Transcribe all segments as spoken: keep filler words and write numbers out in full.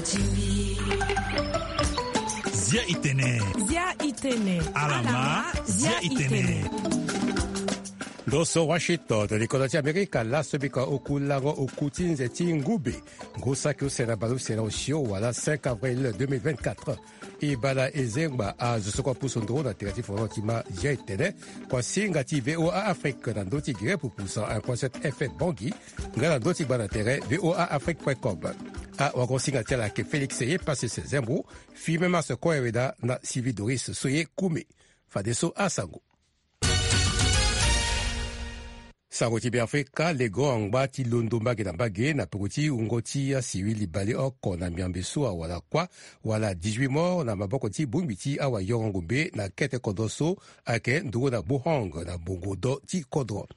Zia itene. Zia itene. Alama, zia itene. Ndo so Washington, likoda ti Amerika, laso bika oku lango oku ti nze ti ngube. Ngu saki use na bale use na osio wala cinq avril deux mille vingt-quatre. E bala e zengba azo so kue apusu nduru na tere ti foro ti ma zia itene. Kua singa ti V O A Afrique na ndö ti gere pupu cent un point sept F M Bangui. Nga na ndö ti gba na tere V O A Afrique point com. Awago singa ti ala ayeke Félix ye pase se zembo. Fimem aso kue weda na Sylvie Doris so ye kume. Fadeso asango. Sango ti Beafrika, lego angba ti londo mbage na mbage na peko ti wungo ti asiwili baleoko na miambe so awara kuâ, wala dix-huit morts na maboko ti bongbi ti awayoro ngombe na kete kodro so ayeke nduru na Bohong na bongo do ti kodro.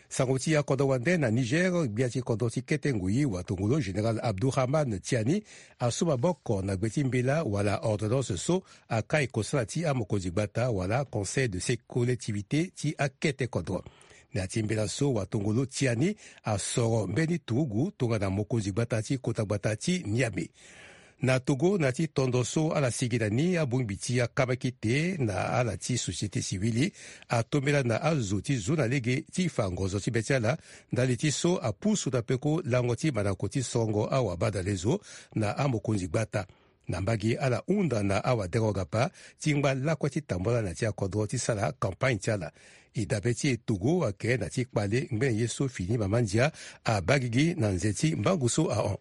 Sango ti akodro wande na Niger, gbia ti kodro ti kete ngoi watongolo Général Abdourahmane Tiani asu maboko na gbe ti mbela wala ordonnance so akai kosala ti amokonzi gbata wala Conseil de ces collectivités ti akete kodro. Na ya ti mbela so watongolo Tiani asoro mbeni turugu tongana mokonzi gbata ti kota gbata ti Niamey. Na Togo, na ya ti tondo so ala sigi na ni abongbi ti akamakete na ala ti société civile atombela na azo ti zu na lege ti fa ngozo ti be ti ala ndali ti so apusu na peko lango ti mandako ti sorongo awabadalezo na amokonzi gbata. Na mbage ala hunda na awadengo gapa ti ngba lakue ti tambula na ya ti akodro ti sara campagne ti ala. E dabe ti e Togo ayeke na ya ti kpale ngbene ye so fini mama ndia abaa gigi na nze ti mbangu so ahon.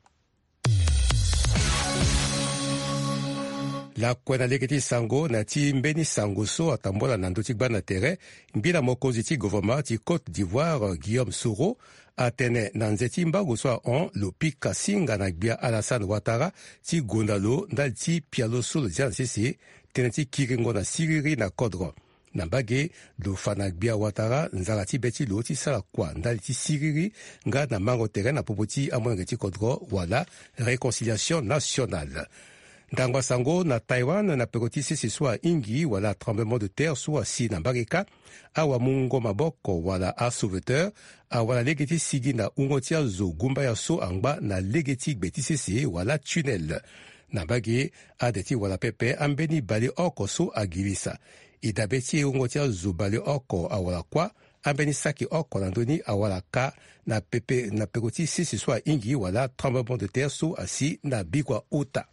Lakue na lege ti sango na ya ti mbeni sango so atambula na ndö ti gbani na tere, ngbila mokonzi ti gouvernement ti Côte d'Ivoire Guillaume Soro atene na nze ti mbango so ahon lo pika singa na gbia Alassane Ouattara ti gonda lo ndali ti pialo so lo zia na sese, tënë ti kiringo na siriri na kodro. Na mbage, lo fa na gbia Ouattara nzara ti be ti lo ti sara kua ndali ti siriri nga na mango tere na popo ti amolenge ti kodro wala réconciliation nationale. Ndangba sango na Taïwan na peko ti sese so ahingi wala tremblement de terre so asi na mbage kâ, awamungo maboko wala asauveteur awara lege ti sigi na wungo ti azo gumbaya so angba na lege ti gbe ti sese wala tunnel. Na mbage, ade ti wara pepe ambeni baleoko so agirisa. E dabe ti e wungo ti azo baleoko awara kuâ, ambeni saki oko na ndö ni awara kâ na pepe na peko ti sese so ahingi wala tremblement de terre so asi na bikua ota.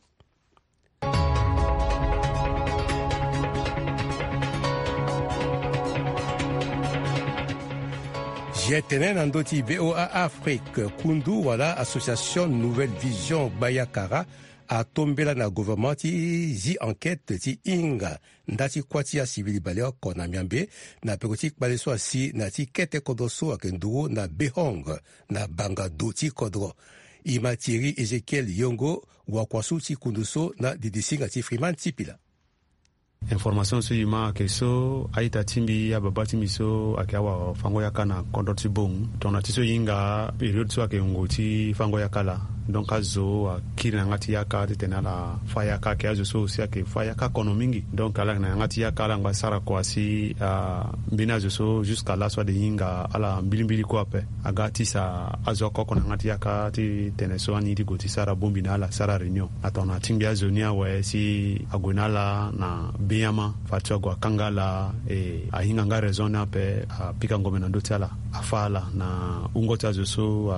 Zia tene na ndö ti V O A Afrique, kundu wala association Nouvelle Vision Gbayakara atombela na gouvernement ti zi enquête ti hinga nda ti kuâ ti asivili baleoko na miambe na peko ti kpale so asi na ya ti kete kodro so ayeke nduru na Behong na banga do ti kodro. E ma Thierry Ézéchiel Yongo, wakuasu ti kundu so na didisinga ti Freeman Tipila. Information so e ma ayeke so, a-ita ti mbi, ababa ti mbi so ayeke awafango-yaka na kodro ti Bong. Tongana ti so e hinga période so ayeke ngoi ti fango-yaka laa. Donc azo akiri na yanga ti yaka titene ala fa yaka, ayeke azo so aussi ayeke fa yaka kono mingi. Donc ala yeke na yanga ti yaka, ala ngba sara kua si, ah, mbeni azo so jusqu'à laso ade hinga ala mbilimbili kue ape. Aga atisa azo oko oko na yanga ti yaka titene so ani ye ti gue ti sara bongbi na ala, sara réunion. Atongana ti ngbi azo ni awe si ague na ala na benyama, fade so ague akanga ala, e ahinga nga raison ni ape, apika ngombe na ndö ti ala, afa ala na wungo ti azo so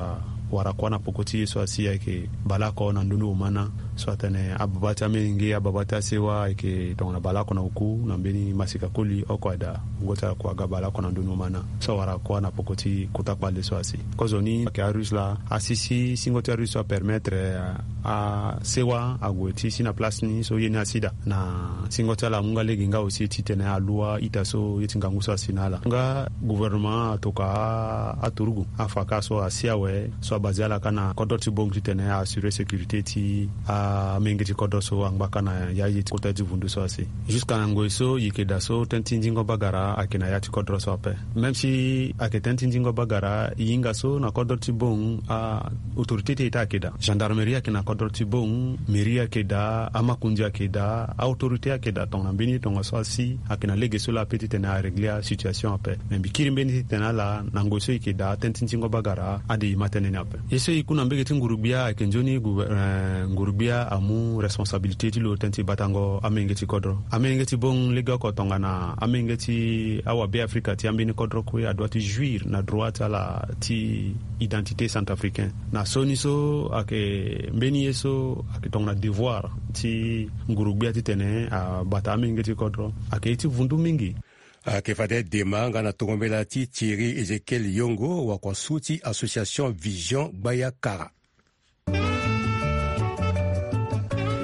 awara kuâ na poko ti ye so asi ayeke baleoko na ndoni omana. So atene ababa ti amenge, ababa ti asewa ayeke tongana baleoko na oku na mbeni masika koli oko aye daa wungo ti ala kua aga baleoko na ndoni omana. So awara kuâ na poko ti kota kpale so asi. Kozoni ayeke arusse laa, asi si singo ti arusse so apermettre, ah, asewa ague ti si na place ni so ye ni asi daa. Na singo ti ala amu nga lege nga aussi titene alu a-ita so ye ti ngangu so asi na ala. Nga gouvernement atoka aturugu afa kâ so asi awe, so abase ala kâ na kodro ti Bong titene a assurer sécurité ti amenge ti kodro so angba kâ na ya ye ti kota ye ti vundu so asi. Jusqu'à na ngoi so e yeke daa so tënë ti nzingo bagara ayeke na ya ti kodro so ape. Même si ayeke tënë ti nzingo bagara, e hinga so na kodro ti Bong, a autorité ti ita ayeke daa. Gendarmerie ayeke na kodro ti Bong, mairie ayeke daa, amakonzi ayeke daa, a autorité ayeke daa tongana mbeni tongaso asi ayeke na lege so laa ape titene a régler asituation ape. Me mbi kiri mbeni titene ala na ngoi so e yeke daa tënë ti nzingo bagara ade e ma tënë ni ape. Ye so e ku na mbege ti nguru-gbia ayeke nzoni gouver-, eh, nguru-gbia Amu responsabilité ti lo tënë ti batango amenge ti kodro. Amenge ti bong legeoko tongana amenge ti awabe afrika ti ambeni kodro kue adua ti juir na droit ti ala ti identité centrafricain. Na sioni so ayeke mbeni ye so ayeke tongana devoir ti ngurugbia titene abata amenge ti kodro ayeke ye ti vundu mingi. Ayeke fade dema nga na tongo mbela ti thierry ezekiel yongo wakua su ti association vision gbaya kara. E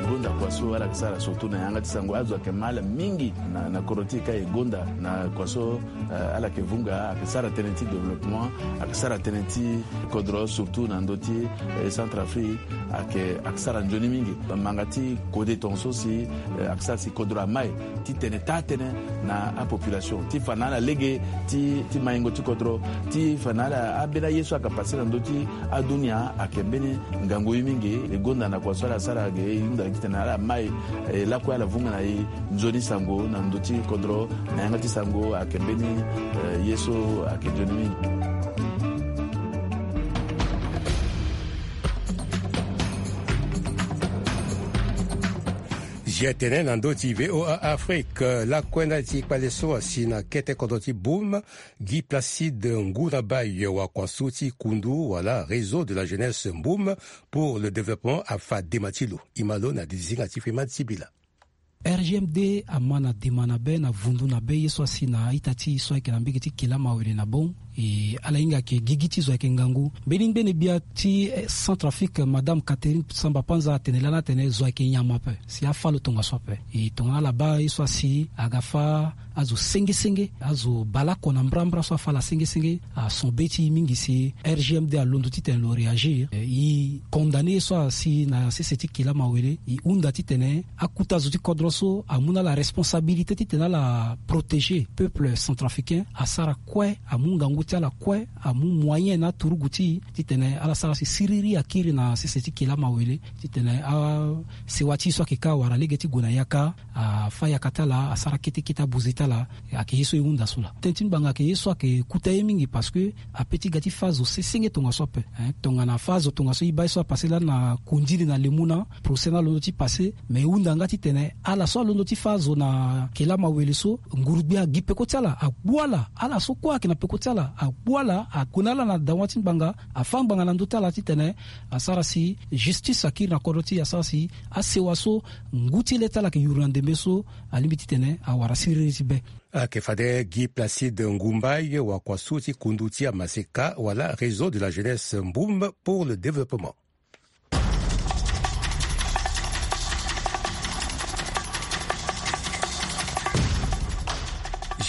gonda kua so ala yeke sara surtout na yanga ti sango azo ayeke ma ala mingi na kodro ti e ka e gonda na kua so. Ala yeke vunga ayeke sara tënë ti développement, ayeke sara tënë ti kodro surtout na ndö ti centre afrique. Ayeke sara nzoni mingi manga ti kode tonga so si ayeke sara si kodro amai titene taa tënë na apopulation ti fa na ala lege ti maingo ti kodro ti fa na ala ambeni aye so ayeke pase na ndö ti adunia ayeke mbeni ngangu ye mingi. E gonda na kua so ala sara ge e hunda titene ala mai lakue ala vunga na e nzoni sango na ndö ti kodro na yanga ti sango ayeke mbeni ye so ayeke nzoni mingi. Zia tene na ndö ti voa afrique lakue ti kpale so asi na kete kodro ti boum. Guy placide nguna baye wakua su ti kundu wala réseau de la jeunesse mboum pour le développement afa dema ti lo. Imalo na didisinga ti freman sibila. Rgmd ama na dema na be na vundu na be ye so asi na a-ita ti e so ayeke na mbege ti kila mawele na bong. E ala hinga ayeke gigi ti zo ayeke ngangu mbeni ngbene gbia ti centre afrique madame catherine samba panza atene lani atene zo ayeke nyama ape. Si afa lo tongaso ape e tongana ala baa ye so asi aga fa azo senge senge azo baleoko na mbrambra so afa ala senge senge. Ason be ti e mingi si rgmd alondo titene lo réagir e condamne ye so asi na sese ti kila mawele e hunda titene akuta zo ti kodro so amu na ala responsabilité titene ala protéger peuple centrafricain asara kue amu ngangu ti ala kue amu moyen na aturugu ti e titene ala sara si siriri akiri na sese ti kila mawele titene asewa ti e so ayeke ka awara lege ti gue na yaka afa yaka ti ala asara kete kete abuze ti ala. Ayeke ye so e hunda so laa tënë ti ngbanga ayeke ye so ayeke kuta ye mingi parce que ape ti ga ti fa azo sesenge tongaso ape. Tongana fa azo tongaso e baa ye so apase lani na kondili na lemu na procès ni alondo ti pase. Me e hunda nga titene ala so alondo ti fa azo na kela mawele so ngurugbi agi peko ti ala agbu ala ala so kue ayeke na peko ti ala agbu ala ague na ala na dawa ti ngbanga afa ngbanga na ndö ti ala titene asara si justice akiri na kodro ti e asara si asewa so ngu ti le ti ala ayeke yuru na ndembe so alingbi titene awara siriri ti be. Ayeke fade guy placide ngumbai wakua so ti kundu ti amaseka wala réseau de la jeunesse mboum pour le développement.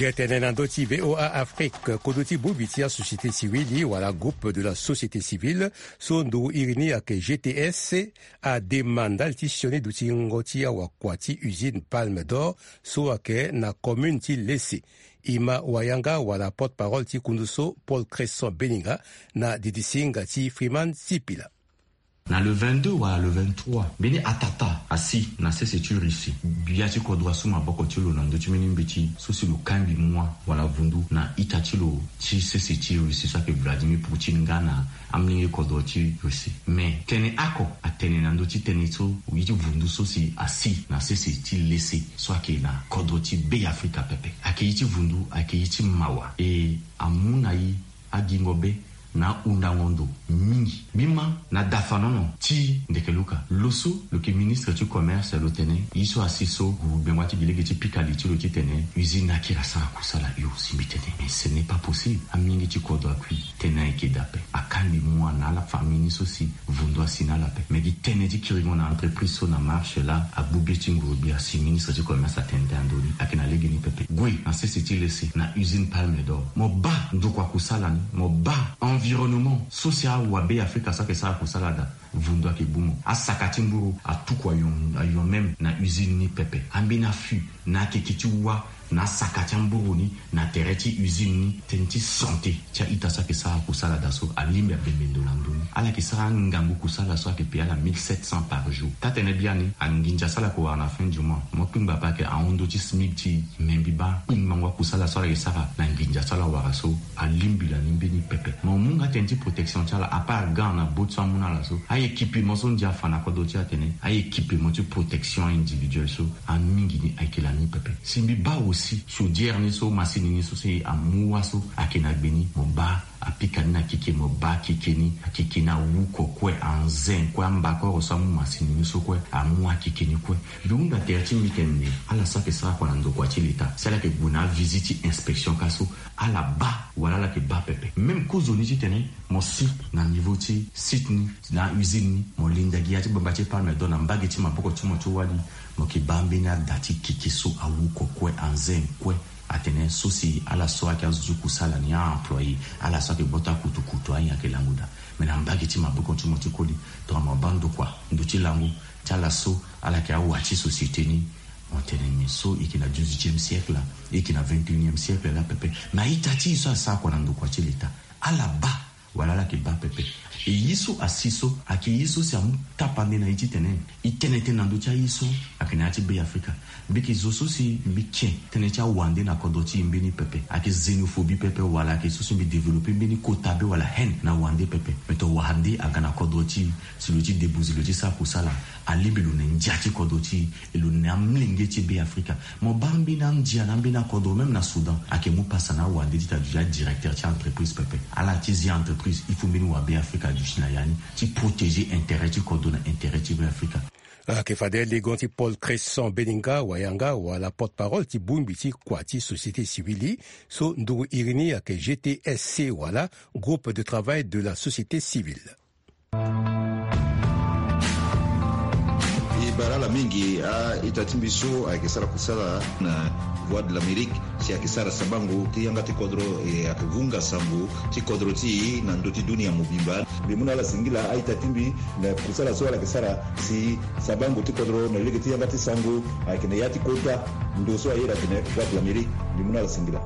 Ge tene na ndö ti voa afrique kodo ti bongbi ti asociété civile wala groupe de la société civile so nduru iri ni ayeke gts adema ndali ti sioni dutingo ti awakua ti usine palme d'or so ayeke na commune ti lese. E ma wayanga wala porte-parole ti kundu so paul cresson beninga na didisinga ti freeman sipila. Na le vingt-deux wala le vingt-trois mbeni atata asi na sese ti russie. Gbia ti kodro asu maboko ti lo na ndö ti mbeni mbeti so si lo kangbi mua wala vundu na ita ti lo ti sese ti russie so ayeke vladimir poutine nga na amolenge kodro ti russie. Me tene oko atene na ndö ti tënë so ye ti vundu so si asi na sese ti lese so ayeke na kodro ti be afrika pepe. Ayeke ye ti vundu ayeke ye ti mawa e amu na e agingo be na ahundango ndo mingi. Mbi ma na dafanono ti ndekeluka lo so lo yeke ministre ti commerce lo tene ye so asi so guru gbengba ti gi lege ti pika li ti lo titene usine akiri asara kusala hio si mbi tene mais ce n'est pas possible. Amolenge ti kodro akui tënë ayeke daa ape. Akangbi mua na ala famille ni so si vundu asi na ala ape me gi tënë ti kiringo na entreprise so na marche laa agbu be ti nguru gbia si ministre ti commerce atene tënë ando ni ayeke na lege ni pepe. Gue na sese ti lese na usine palme d'or mo baa ndokua kusala ni mo baa environnement so si awabe afrika so ayeke sara kusala daa. Vundu ayeke gbu mo asaka ti mburu atuku ayon même na usine ni pepe ambeni afu na akeke ti wa. Na saka ti amburu ni, na tere ti usine ni, tënë ti santé ti a-ita so ayeke sara kusala daa so alingbi abembe ndo na ndö ni. Ala yeke sara angangu kusala so ayeke paye ala mille sept cents par jour. Taa-tene biani, anginza so ala yeke wara na fin du mois, mo kpingba ape ayeke ahon ndö ti SMIC ti e. Me mbi baa kpingbango akusala so ala yeke sara na nginza so ala wara so, alingbi lani mbeni pepe. Mo mu nga tënë ti protection ti ala, à part gant na bottes so amu na ala so, a-équipement so ndia afa na kodro ti e atene a-équipement ti protection individuelle so, amingi ni ayeke lani pepe. Si mbi baa aussi chaudière ni so, masini ni so si amu wâ so ayeke na gbe ni, mo baa apika ni na keke, mo baa keke ni, akeke ni awu oko kue, anze kue, ambakoro so amu masini ni so kue, amu akeke ni kue. Mbi hunda tere ti mbi tene nde ala so ayeke sara kua na ndokua ti leta, si ala yeke gue na avisite ti inspection kâ so, ala baa wala ala yeke baa pepe. Même kozoni titene mo si na niveau ti site ni, na usine ni, mo linda gi ya ti bamba ti palme d'or na mbage ti maboko ti mo ti wali, mo yeke baa mbeni ada ti keke so awu oko kue, anze kue. Atene so si ala so ayeke azo ti kusala ni, a-employé, ala so ayeke gboto akutukutu, ayen ayeke lango daa. Me na mbage ti maboko ti mo ti koli, tongana mo baa ndokua, ndo ti lango ti ala so ala yeke awa ti société ni, mo tene nyen so e yeke na dix-huitième siècle la, e yeke na vingt et unième siècle la pepe. Me a-ita ti e so asara kua na ndokua ti leta, ala baa wala ala yeke baa pepe. E ye so asi so ayeke ye so si amu tapande na e titene e tene tënë na ndö ti aye so ayeke na ya ti Beafrika. Mbi yeke zo so si mbi ke tënë ti awande na kodro ti e mbeni pepe. Ayeke xénophobie pepe wala ayeke so si mbi développé mbeni kota be wala haine na wande pepe. Me tongana wande aga na kodro ti e, si lo ti debuzi, lo ti sara kusala, alingbi lo na ndia ti kodro ti e, e lo na amolenge ti Beafrika. Mo baa mbeni andia na mbeni akodro, même na Soudan, ayeke mu pasa na awande ti ta duti adirecteur ti entreprise pepe. Ala ti zi entreprise, il faut mbeni wa Beafrika aduti na ya ni ti protéger intérêt ti kodro na intérêt ti Beafrika. Ayeke fade legon ti Paul Cresson Beninga Wayanga wala porte-parole ti bongbi ti kua ti société civile, so nduru iri ni ayeke G T S C wala Groupe de travail de la société civile. E bara ala mingi a-ita ti mbi so ayeke sara kusala na Voix de l'Amérique, si ayeke sara sabango ti yanga ti kodro, e ayeke vunga sango ti kodro ti e na ndö ti dunia mobimba. Mbi mu na ala singila a-ita ti mbi na kusala so ala yeke sara si sabango ti kodro na lege ti yanga ti sango ayeke na ya ti kota ndo so ayeda atene Voix de l'Amérique. Mbi mu na ala singila.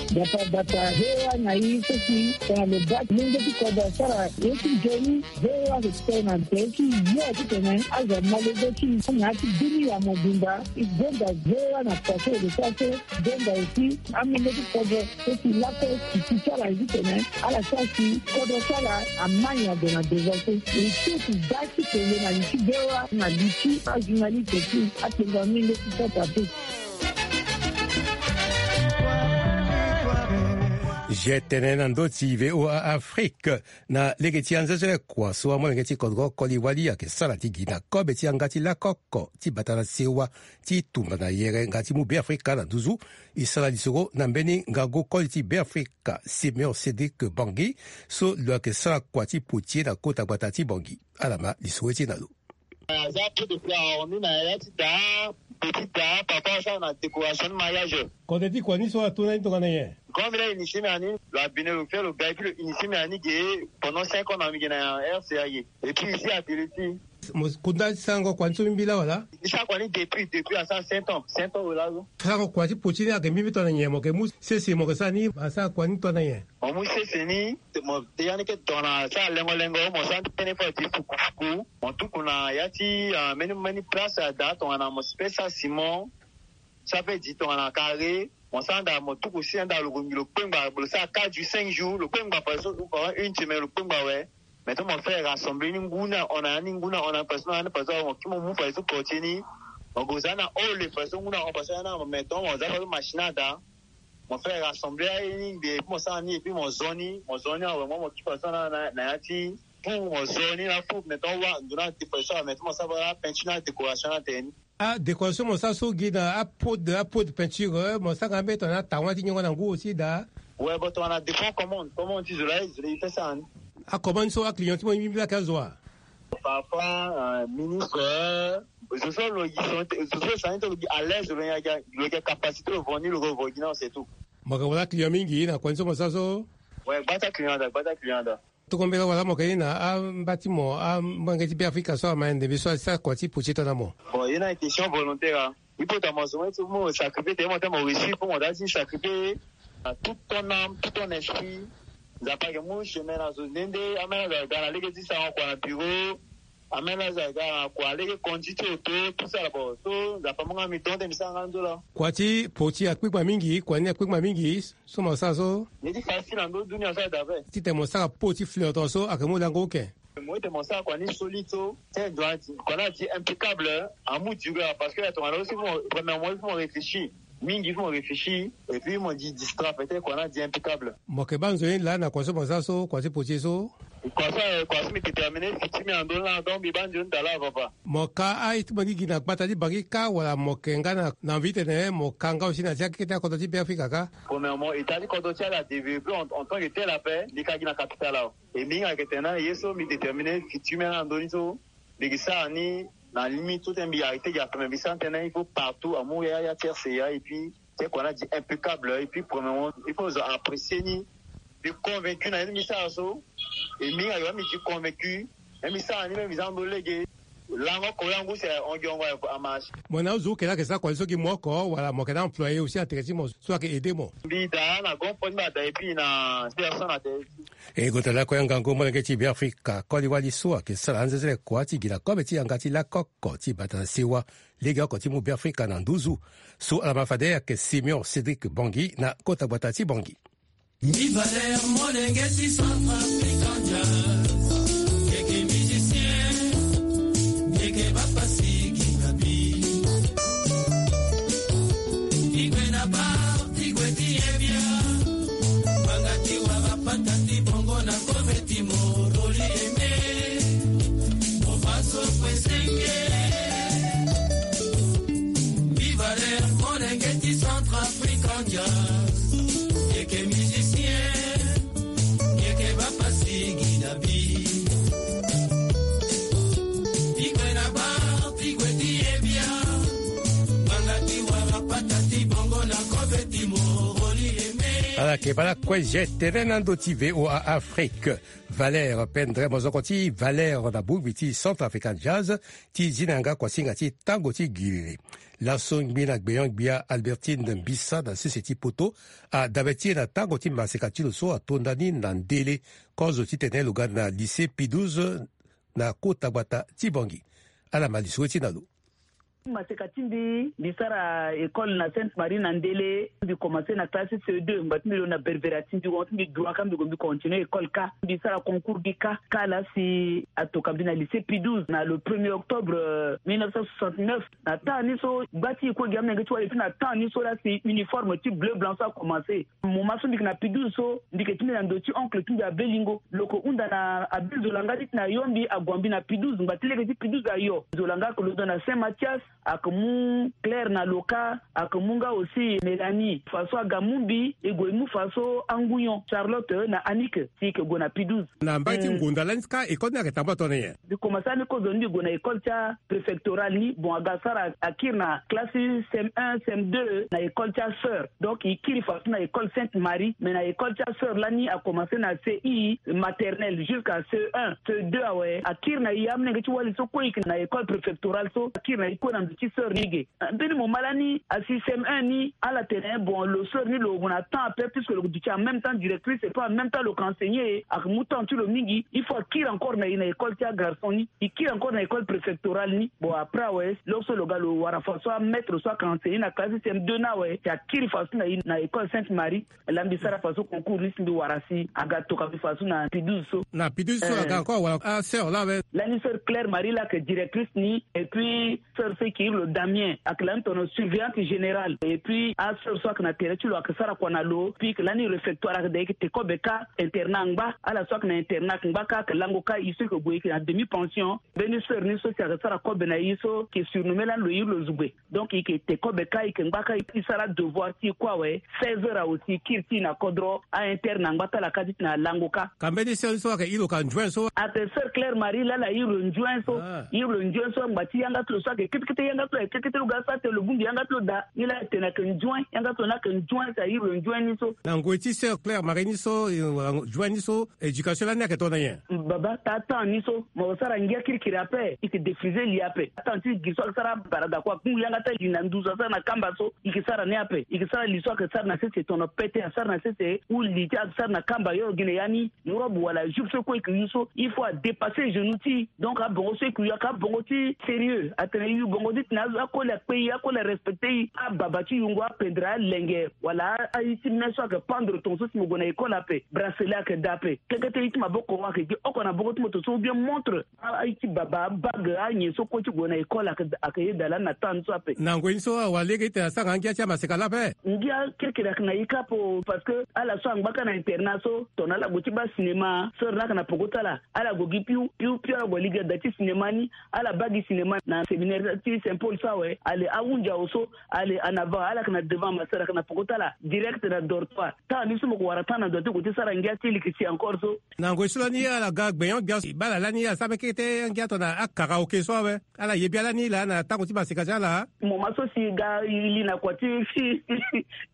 Bata bata, V O A na e so si tongana lo baa ti lenge ti kodro asara ye ti nzoni, V O A ayeke tene na tere ti yo titene azo amolenge ti e na ya ti dunia mobimba. E gonda V O A na kua so e lo sara so, e gonda aussi amolenge ti kodro so si lakue e ti ti ala titene ala sara si kodro ti ala amai ado na devant so. E ti e ti da ti tene na li ti V O A na li ti ajournaliste ti akpengba mingi ti sota pe. Je tene na ndö ti V O A Afrique. Na lege ti anzezele kua so amolenge ti kodro koli wali ayeke sara ti gi na kobe ti yanga ti lakoko ti bata na sewa ti tumba na yere nga ti mu Beafrika na nduzu. E sara lisoro na mbeni ngangu koli ti Beafrika Simeon Cédric Bangui, so lo yeke sara kua ti potier na kota gbata ti Bangui. Ala ma lisoro ti e na lo. Aza peu de fleurs, on est na ya ti da, petit da, papa asara na décoration de mariage. Kodro ti kua ni so ato na ni tongana nyen? Grand mbi la initié mbi na ni, lo abine lo fia lo ga, et puis lo initié mbi na ni ge pendant cinq ans na mbi ge na R C A ge. Et puis ici à Télé ti. Mo kunda ti sarango kua ni so mbi la wala? Mbi sara kua ni depuis, depuis asara sept ans, sept ans wala so. Sarango kua ti potier ni ayeke mbi mbi tongana nyen? Mo yeke mu sese mo yeke sara ni, asara kua ni tongana nyen? Mo mu sese ni, mo ya ni ke tongana asara lengo lengo, mo sara ni tënë fo ti fuku fuku. Mo tuku na ya ti, ah, mbeni mbeni place ada tongana mo si pe sara ciment, so ape di tongana carré, mo sara anda mo tuku si anda lo gongi lo kpengba, lo sara quatre jours, cinq jours, lo kpengba par exemple, ou pendant une semaine lo kpengba awe. Maintenant mo fait rassembler ni ngu ni ahon na ya ni, ngu ni ahon na ya ni, parce que na ya ni parce que mo kiri mo mu par exemple portier ni, mo gue za na ole parce que ngu ni ahon parce que na maintenant mo za par exemple machine ada, mo fait rassembler aye ni, et puis mo sara ni, et puis mo zo ni, mo zo ni awe, mo, mo kiri par exemple na, na, na ya ti four, mo zo ni na four, maintenant wa ndo na décoration, maintenant mo sara peinture na décoration na tene. Ah, décoration mo sara so gi na apeau de, apeau de peinture, eh, mo sara nga mbe tongana atawan ti nyongo na ngu aussi da. Ouais, bon, tongana dépend commande, commande ti zo la, zo la e fait ça, hein. Acommande so aclient ti mo mbi mbi la ka zo a. Parfois, euh, ministre, euh, zo so lo gi, zo so sani ti lo gi à l'aise, lo yeke, lo yeke capacité lo vo ni, lo vo gi na, c'est tout. Mo yeke wara client mingi na kua ni so mo sara so? Ouais, gbata client da, gbata client da. Toko mbela wala mo keni na amba ti mo amolenge ti Beafrika so ama ende mbi so asara kua ti poti tana mo. Bon, ye na question volontaire. Il faut ta mo zo mo ti mo sacrifier te mo ta mo réussir pour mo ta ti sacrifier na tout ton âme, tout ton esprit. Nzapa ke mu chemin na zo nde nde amena za ga na lege ti sango kua na bureau. Amena za ga na kua lege conduit ti auto tout ça là bon. So nzapa mu nga mi tonte mi sara nga nzola. Kua ti poti akpikpa mingi, kua ni akpikpa mingi. So mo sara so. Ni ti facile na ndo dunia so ada ve. Titene mo sara po ti flirton so ayeke mu lango oke. Mo ete mo sara kua ni solide so. Te doit kua ni adi impeccable. Amu duré parce que tongana aussi mo premièrement il faut mo réfléchir. Mingi il faut mo réfléchir. Et puis mo di distra peut-être kua ni adi impeccable. Mo yeke baa nzoni laa na kua so mo sara so kua ti poti so. Kua so kua so mi déterminer futur mi na ndö ni laa donc mi baa nzoni daa laa papa. Mo ka aye ti mo ni gi na gbata ti bangi kâ wala mo yeke nga na envie titene mo ka nga aussi na ti akete akodro ti Beafrika kâ. Premièrement état ti kodro ti ala adéveloppé en tant que tel ape. Mbi ka gi na capital awe. E mbi hinga yeke tene na ye so mbi déterminer futur mi na ndö ni so. Mbi yeke sara ni na limite so tene mbi arrêté gi ape mais mbi sara ni tënë il faut partout amu ya ya ti rca et puis te kua ni adi impeccable et puis premièrement il faut zo apprécier ni. Mbi convaincu na ye ti mbi sara so. E mbi hinga yo mbi di convaincu. Même mbi sara ni même mbi za ndo lege. Lango oko ya ngu si ahon giongo amarche. Mo na azo oke laa ayeke sara kua ni so gi mo oko wala mo yeke na employé aussi na tere ti mo so ayeke aidé mo? Mbi daa na grand frère ti mbi ada et puis na personne na tere ti. E gota lako ya ngangu molenge ti Beafrika koli wali so ayeke sara anzenzele kua ti gi na kobe ti yanga ti lakoko ti bata na sewa. Legeoko ti mu Beafrika na nduzu. So ala ma fade ayeke Simeon Cédric Bongi na kota gbata ti Bongi. Mbi Valère molenge ti Centrafrique Jazz. Yeke musicien. Yeke bapasi gi na bi. Ti gue na bar ti gue ti ye bia. Banga ti wara pata ti bongo na kobe ti mo roli eme. Mo faso kue senge. Mbi Valère molenge ti Centrafrique Jazz. Yeke musicien. Yeke bapasi gi na bi. Ti gue na bar ti gue ti ye bia. Banga ti wara pata ti bongo na kobe ti mo roli eme. Ala yeke bala kue je tene na ndo ti VOA Afrique. Valère Pendre mozoko ti Valère na bongbi ti Centrafrican Jazz ti zi na yanga kuasinga ti tango ti gilili. Laso ngbi na gbeon-gbia Albertine Mbisa na sese ti poto adabe ti e na tango ti maseka ti lo so atonda ni na ndele kozo titene lo ga na lycée Pie douze na kota gbata ti Bongi. Ala ma lisoro ti na lo. Maseka ti mbi, mbi sara école na Sainte Marie na ndele. Mbi commencé na classe C deux, ngba ti mbi lo na Berbera ti mbi, won ti mbi droit ka mbi gue mbi continuer école ka. Mbi sara concours mbi ka, ka la si atoka mbi na lycée Pie douze na le premier octobre, euh, mille neuf cent soixante-neuf. Na temps ni so gba ti e kue gi amolenge ti wali, et puis na temps ni so la si uniforme ti bleu blanc so a commencé. Moment so mbi yeke na Pie douze so, mbi yeke ti mbi na ndo ti oncle ti mbi Abe Lingo. Lo yeke hunda na Abe Nzolanga ti tene ayo mbi, ague mbi na Pie douze, ngba ti lege ti Pie douze ayo. Nzolanga ayeke londo na Saint Mathias, ayeke mu Claire na Loka, ayeke mu nga aussi Mélanie. Faso aga mu mbi, e gue e mu faso angunyon, Charlotte na Annick, si e yeke gue na Pie douze. Na mbai ti ngonda lani ka école ni ayeke tambula tongana nyen? Mbi commencé ani kozo ni mbi gue na école ti apréfectorale ni. Bon, aga sara akiri na classe ti C M un, C M deux na école ti asœur. Donc e kiri faso na école Sainte Marie, mais na école ti asœur lani a commencé na C I maternelle jusqu'à C un, C deux awe. Akiri na e, amolenge ti wali so kue e yeke na école préfectorale so, akiri na e kue na ndo ti sœur ni ge. Mbeni moment lani asi C M un ni, ala tene bon, lo sœur ni lo gue na temps ape, puisque lo duti en même temps directrice et puis en même temps lo yeke enseigner, ayeke mu temps ti lo mingi. Il faut akiri encore na e na école ti agarçon ni, e kiri encore na école préfectorale ni. Bon, après awe, lo so lo ga lo wara faso amaître so ayeke enseigner na classe ti C M deux ni awe, si akiri faso na e na école Sainte Marie. Laa mbi sara faso concours ni si mbi wara si aga toka mbi faso na Pie douze so. Na Pie douze so aga encore wala asœur laa awe? Lani sœur Claire Marie laa ayeke directrice ni, et puis sœur so e yeke iri lo Damien, ayeke lani tongana surveillante générale. Et puis asœur so ayeke na tere ti lo ayeke sara kua na lo. Puis e yeke lani réfectoire, ayeke daa e yeke te kobe ka, internat angba. Ala so ayeke na internat ayeke ngba ka, ayeke lango ka. E so e yeke gue e yeke na demi pension. Mbeni sœur ni so si ayeke sara kobe na e so e yeke surnommé lani lo iri lo Zugbe. Donc e yeke te kobe ka, e yeke ngba ka, e sara adevoir ti e kue awe. Seize heures awe si e kiri ti e na kodro, a-interne angba ti ala ka ti tena alango ka. Ka mbeni sœur so ayeke iri lo ka nzuen so? Ayeke sœur Claire Marie laa ala iri lo nzuen so. Ah. Iri lo nzuen so, ngba ti yanga ti lo so ayeke kitikiti. Yanga so aye kekete lo ga sa te lo bongbi yanga so lo daa. Ni laa atene ayeke nzuen, yanga so ni ayeke nzuen, si airi lo nzuen ni so. Na ngoi ti sœur Claire Marie ni so, eh, nzuen ni so, éducation lani ayeke tongana nyen? Baba, taa temps ni so mo sara ngia kirikiri ape, i yeke défriser li ape. Temps ti gi so asara barada kua kungu yanga ti li na nduzu asara na kamba so, i yeke sara ni ape. I yeke sara li so ayeke sara na sese tono pete, asara na sese ou li ti asara na kamba yo gi na ya ni. Robe wala jupe so kue i yeke yu so, il faut adépasser genou ti i. Donc abongo so i yeke yu ayeke abongo ti sérieux. Atene i yu bongo ti tene akoli akpe i, akoli arespecter i. Ababa ti yungo apendre alenge wala a-, aye ti me so ayeke pendre tonga so si mo gue na école ape, bracelet ayeke daa ape. Kekete ye ti maboko ayeke gi oko na boko ti moto so ou bien montre. A-, aye ti baba, abague, anyen so kue ti gue na école ayeke, ayeke yeda lani na temps ni so ape. Na ngoi ni so awara lege ti tene asara nga ngia ti amaseka laa ape? Ngia kirikiri ayeke na e kâ ape o, parce que ala so angba kâ na internat so, tongana ala gue ti baa cinéma, sœur ni ayeke na peko ti ala. Ala gue gi piu, piu, piu, ala gue lege da ti cinéma ni. Ala baa gi cinéma na séminaire ti Saint Paul so awe. Ale, ahunzi awe so, ale, en avant, ala yeke na devant, ma sœur ayeke na peko ti ala, direct na dortoir. Temps ni so mo ko wara temps na ndo ti gue ti sara ngia ti leke si encore so. Na ngoi so lani ala ga gbenyo gbia si baa ala lani ala sara mbeni kete angia tongana akaraoke so awe. Ala ye bia lani laa na tango ti maseka ti ala. Moment so si ga i li na kua ti,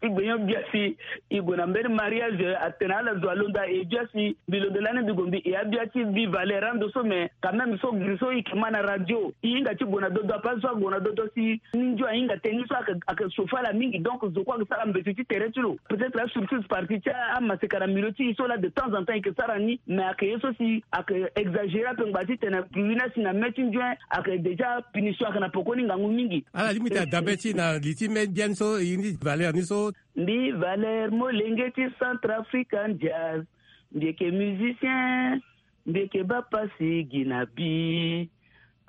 ti gbenyo gbia si i gue na mbeni mariage, atene ala zo alondo aye bia si mbi londo lani mbi gue mbi e abia ti mbi valeur ando so, mais quand même so giri so i yeke ma na radio, i hinga ti gue na dodo ape, azo so ague na dodo si ni nzio ahinga tënë ni so ayeke, ayeke chauffer ala mingi. Donc zo kue ayeke sara mbeto ti tere ti lo. Peut-être asurtout partie ti amaseka na milieu ti e so laa de temps en temps i yeke sara ni, mais ayeke ye so si ayeke exagérer ape ngba ti tene giri ni asi na me ti nzuen, ayeke déjà punition ayeke na pekoni ngangu mingi. Ala lingbi ti tene dabe ti e na li ti me biani so, e ni valeur ni so. Mbi valeur molenge ti Centrafrican Jazz. Mbi yeke musicien, mbi yeke baa pasi gi na bi.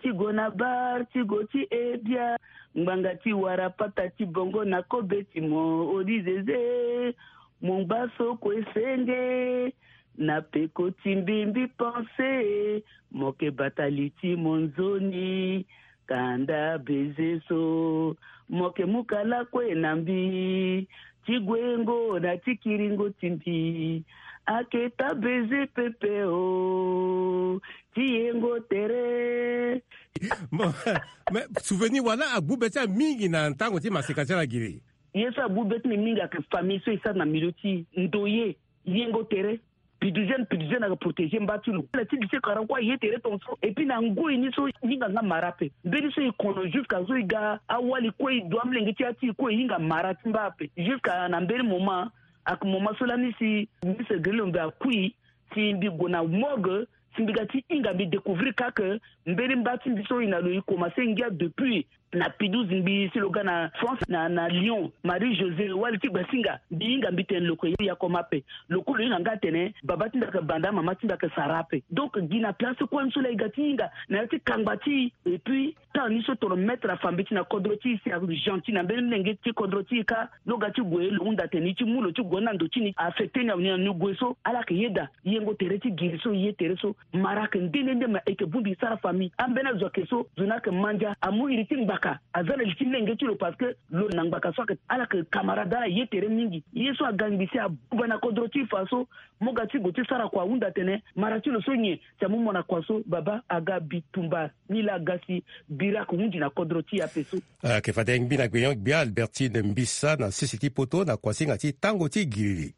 Ti gue na bar, ti gue ti e bia. Ngbanga ti wara pata ti bongo na kobe ti mo, odi zeze. Mo ngba so kue senge. Na peko ti mbi mbi pense. Mo yeke bata li ti mo nzoni. Kanda baiser so. Mo yeke mu kala kue na mbi. Ti guengo na ti kiringo ti mbi. Ayeke taa baiser pepe o. Ti yengo tere. Bon, mais souvenir wala agbu be ti ala mingi na tango ti maseka ti ala giri? Ye so agbu be ti mbi mingi ayeke famille so e sara na milieu ti e, ndoye, yengo tere. Piduzene, piduzene ayeke protéger mba ti lo. Ala ti lycée Karankwa aye tere tongaso. Et puis na ngoi ni so e hinga nga mara ape. Mbeni so e kono jusqu'à so e ga awali kue, e du amolenge ti ya ti e kue, e hinga mara ti mba ape. Jusqu'à na mbeni moment, ayeke moment so lani si Miss Grillo mbi akui, si mbi gue na morgue, si mbi ga ti hinga mbi découvrir kâ que mbeni mba ti mbi so e na lo e commencer ngia depuis na Pidouze, mbi si lo ga na France, na, na Lyon, Marie José, wali ti Gbasinga, mbi hinga mbi tene lo yeke ya koma ape. Lo kue lo hinga nga atene baba ti mbi ayeke banda, mama ti mbi ayeke sara ape. Donc gi na place kue ni so laa e ga ti hinga na ya ti kangba ti e. Et puis temps ni so tongana maître afa mbeti na kodro ti e si agentil na mbeni molenge ti kodro ti e kâ, lo ga ti gue lo hunda atene e ti mu lo ti gue na ndo ti ni, affecter ni awe ni na ni gue so, ala yeke yeda. Yengo tere ti giri so, ye tere so, mara ayeke nde nde nde, ma e yeke bongbi e sara famille. Ambeni azo ayeke so, zo ni ayeke mandia, amu iri ti ngbaka aza na li ti lenge ti lo, parce que lo na ngbaka so ayeke, ala yeke camarade, ala ye tere mingi. Ye so aga ngbi si abuba na kodro ti e fa so, mo ga ti gue ti sara kua ahunda atene mara ti lo so nyen, si amu mo na kua so, baba aga bitumba. Ni laa aga si bira ayeke hunzi na kodro ti e ape so. Ayeke fade ngbi na gbenyo-gbia Albertine Mbisa na sese ti poto na kuasinga ti tango ti giriri.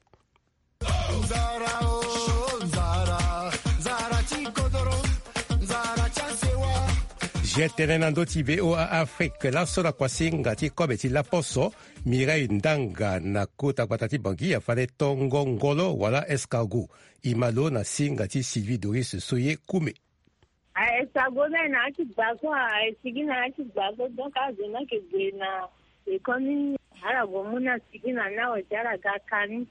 Nzara o, nzara, nzara ti kodoro, nzara ti asewa. Ge tënë na ndö ti V O A Afrique, laso na kuasinga ti kobe ti laposo, Mireille Ndanga na kota gbata ti Bangui afande tongo ngolo wala escargot. E ma lo na singa ti Sylvie Doris Soye Kume. Aye sago na ye na ya ti gba so, aye sigi na ya ti gba so, donc azo ni ayeke gue na école ni, ala gue mu ni asigi na ni awe si ala ga ka ni.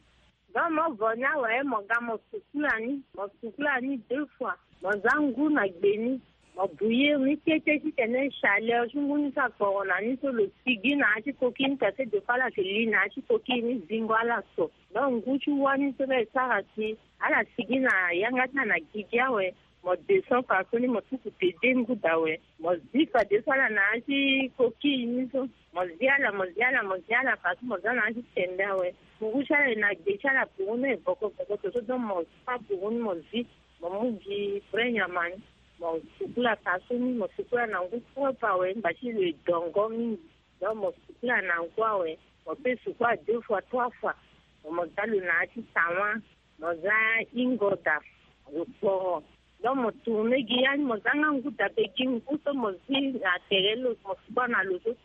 Donc mo vo ni awe, mo ga mo sukula ni, mo sukula ni deux fois. Mo za ngu na gbe ni, mo bouillir ni kete titene chaleur ti ngu ni so akporo na ni so lo sigi na ya ti coquille ni, parce que deux fois ala yeke li na ya ti coquille ni, zingo ala so. Donc ngu ti wâ ni so la e sara si ala sigi na yanga ti ala na gigi awe. Mo descend fadeso ni, mo tuku pede ngu daa awe. Mo zi fadeso ala na ya ti coquille ni so. Mo zi ala, mo zi ala, mo zi ala fadeso mo za na ya ti tende awe. Ngu ti ala e na gbe ti ala puru ni e boko boko to so, donc mo fa puru ni mo zi, mo mu gi vrai nyama ni. Mo sukula ka so ni, mo sukula na ngu propre awe, mba ti lo e dongo mingi. Donc mo sukula na ngu awe, mo pe sukula deux fois, trois fois. Mo, mo za lo na ya ti tawa, mo za ingoda, lo kporo. Donc mo tourne gi ya ni, mo za nga ngu dabe gi ngu so mo zi na tere lo, mo sukula na lo so.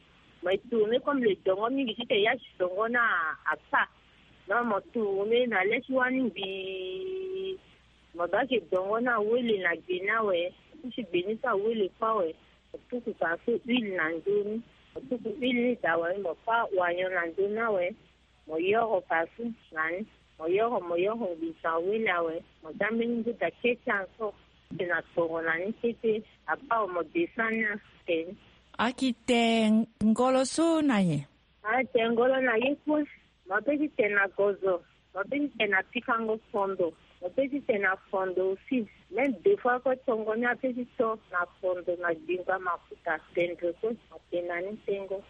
Mo e tourne comme lo e dongo mingi titene ya ti dongo ni a, a pa. Donc mo tourne na le ti wani mbi. Mo ga ke dongo ni awele na gbe ni awe. Ti gbe ni so awele kue awe. Mo tuku ka so huile na nzoni. Mo tuku huile ni daa awe, mo pa wanyo na nzoni awe. Mo yoro ka so na ni. Mo yoro, mo yoro ngbinzo awele awe. Mo za mbeni ngu daa kete encore. Ti na kporo na ni kete. Apa awe mo descend ni atene. Aki te ngolo so na ye? A te ngolo na ye kue. Mo pe ti tene na gozo, mo pe ti tene na pikango fondo, mo pe ti tene na fondo aussi. Même deux fois kue tongo ni ape ti to na fondo na gbingba mafuta, tendre kue, mo tene na ni tengo.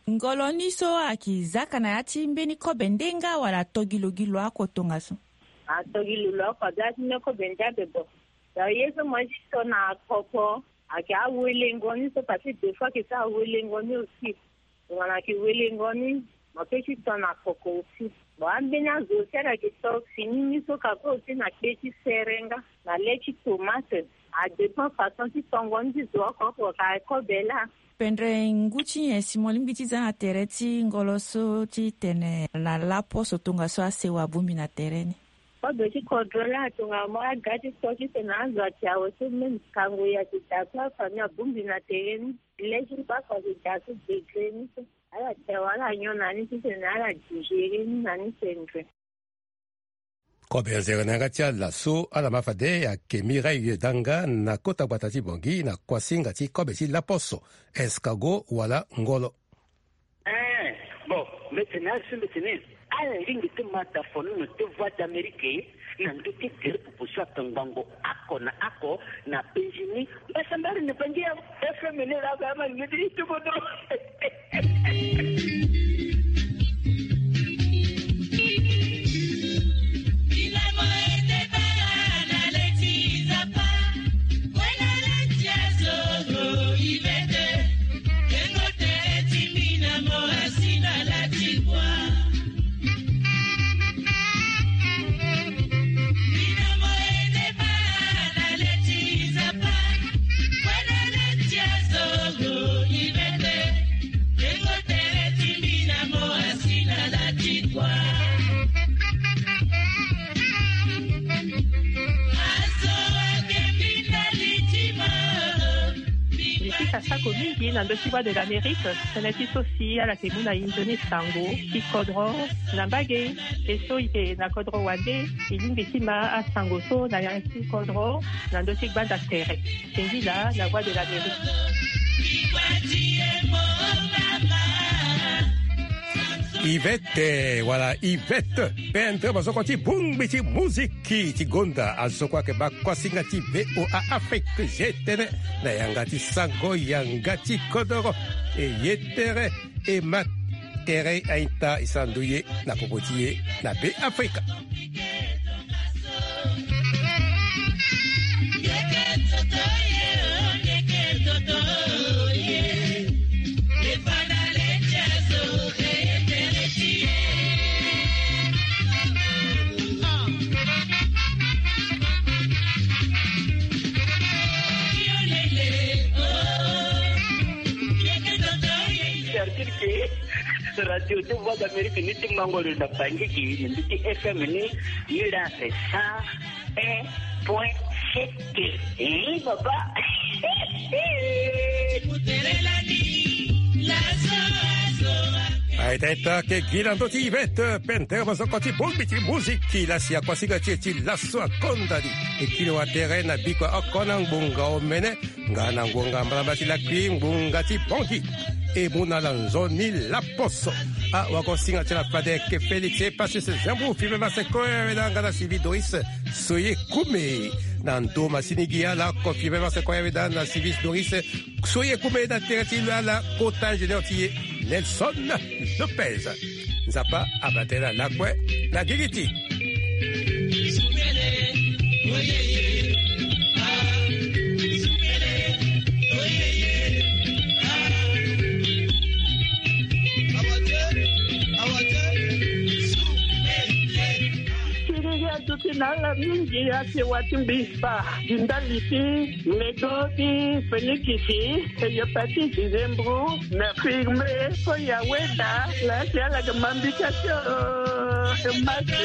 Ngolo ni so aki zaka na ya ti mbeni kobe nde nga wala to gi lo gi lo oko tongaso? A to gi lo lo oko, a be ya ti mbeni kobe nde ape bo. Donc ye so mo ye ti to na koko, ayeke awelengo ni so, parce que deux fois ayeke sara awelengo ni aussi. Tongana ayeke welengo ni, mo pe ti to na koko aussi. Bon, ambeni azo aussi ala yeke to fini ni so ka kue aussi na kpe ti sere nga, na le ti tomate. A dépend façon ti tongo ni ti zo oko oko ka kobe laa. Pendre ngu ti nyen si mo lingbi ti za na tere ti ngolo so ti tene na lapo so tongaso asewa abongbi na tere ni? Kobe ti kodro laa tongana mo aga ti to ti tene na azo ati awe so même kango e ayeke daa so afamille abongbi na tere ni. Lege ti bako ayeke daa so degré ni so. Ala te awe, ala nyon na ni titene ala digéré ni na ni tendre. Kobe nzere na yanga ti ala so ala ma fade ayeke Mireille Danga na kota gbata ti Bangui na kuasinga ti kobe ti laposo, escargot wala ngolo. Eh, bon, mbi tene azo mbi tene ala lingbi ti ma tafono na ti Voix d'Amérique na ndö ti tere popo so atongbango oko na oko na penzi ni. Mbasambari na Bangui FM ni laa, ama ni ti tukodro. Mbi sika sako mingi na ndö ti Voix de l'Amérique, tënë ti so si ala yeke mu na e nzoni sango ti kodro na mbage. E so e yeke na kodro wande, e lingbi ti ma asango so na yanga ti kodro na ndö ti gbanda tere. Singila na Voix de l'Amérique. Yvette, wala Yvette, pendre mosoko ti bongbi ti muziki ti gonda, azo kue ayeke baa kuasinga ti V O A Afrique. Ye tënë na yanga ti sango yanga ti kodoro. E ye tere, e ma tere a-ita, e sara ndoye na popo ti e na Be Afrika. C'est-à-dire que Radio ti Voix d'Amérique ni ti mango lo na Bangui gi, ni mbi ti F M ni, ni la c'est cent un point sept. Eh, papa. Aita, aita, ke gi na ndö ti Yvette, pendre mosoko ti bongbi ti muziki, la si akuasinga ti e ti laso akonda ni. E kiri wa tere na bikua oko na ngbonga omene. Nga na ngonga mbalambala ti lakui, ngbonga ti Bangui. E mu na ala nzoni laposo. Ah, wagosinga ti ala fade ayeke Félix Epacius Zambou, Filemon Sekoya, weda nga na Sylvie Doris Soye Koume. Na ndo masini gi ala oko, Filemon Sekoya, weda na Sylvie Doris Soye Koume, na tere ti lo ala kota ingénieur ti e Nelson Lopez. Nzapa abata ala lakue na gigi ti. Na ala mingi asi wa ti mbi spa, di ndali ti lego ti fenikisi, eyo pati dizembro na firme. Ko ya weda la si ala ga mambika tio. Mate.